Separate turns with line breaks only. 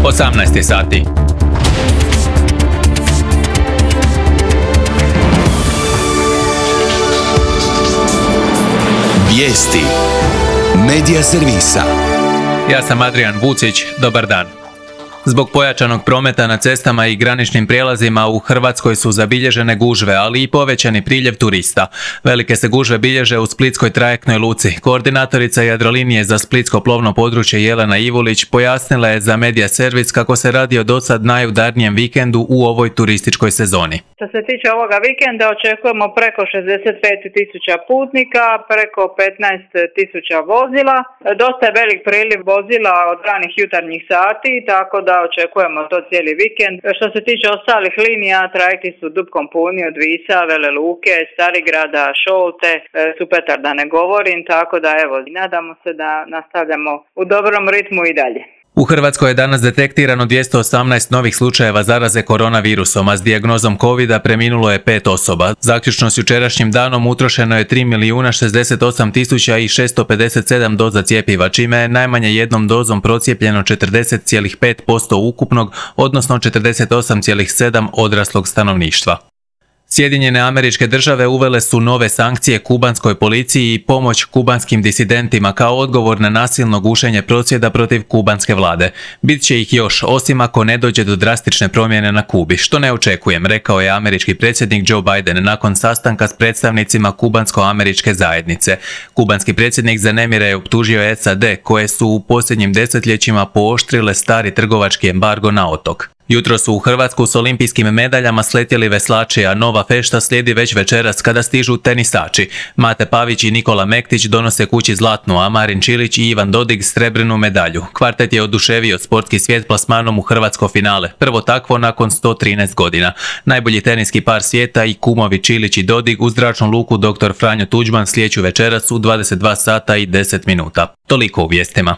18 sati.
Vijesti Medija servisa.
Ja sam Adrian Vucić, dobar dan. Zbog pojačanog prometa na cestama i graničnim prijelazima u Hrvatskoj su zabilježene gužve, ali i povećani priljev turista. Velike se gužve bilježe u splitskoj trajektnoj luci. Koordinatorica Jadrolinije za splitsko plovno područje Jelena Ivulić pojasnila je za Medija servis kako se radi o dosad najudarnijem vikendu u ovoj turističkoj sezoni.
Što se tiče ovoga vikenda očekujemo preko 65.000 putnika, preko 15.000 vozila. Dosta je velik priliv vozila od ranih jutarnjih sati, tako da očekujemo to cijeli vikend. Što se tiče ostalih linija, trajekti su dupkom puni od Visa, Vele Luke, Starigrada, Šolte, Supetar da ne govorim, tako da evo, nadamo se da nastavljamo u dobrom ritmu i dalje.
U Hrvatskoj je danas detektirano 218 novih slučajeva zaraze koronavirusom, a s dijagnozom covida preminulo je 5 osoba. Zaključno s jučerašnjim danom utrošeno je 3.068.657 doza cjepiva, čime je najmanje jednom dozom procijepljeno 40,5% ukupnog, odnosno 48,7% odraslog stanovništva. Sjedinjene Američke Države uvele su nove sankcije kubanskoj policiji i pomoć kubanskim disidentima kao odgovor na nasilno gušenje prosvjeda protiv kubanske vlade. Bit će ih još, osim ako ne dođe do drastične promjene na Kubi, što ne očekujem, rekao je američki predsjednik Joe Biden nakon sastanka s predstavnicima kubansko-američke zajednice. Kubanski predsjednik za nemire je optužio SAD, koje su u posljednjim desetljećima pooštrile stari trgovački embargo na otok. Jutro su u Hrvatsku s olimpijskim medaljama sletjeli veslači, a nova fešta slijedi već večeras kada stižu tenisači. Mate Pavić i Nikola Mektić donose kući zlatnu, a Marin Čilić i Ivan Dodig srebrnu medalju. Kvartet je oduševio sportski svijet plasmanom u hrvatsko finale, prvo takvo nakon 113 godina. Najbolji teniski par svijeta i kumovi Čilić i Dodig u zračnu luku dr. Franjo Tuđman slijeću večeras u 22 sata i 10 minuta. Toliko u vijestima.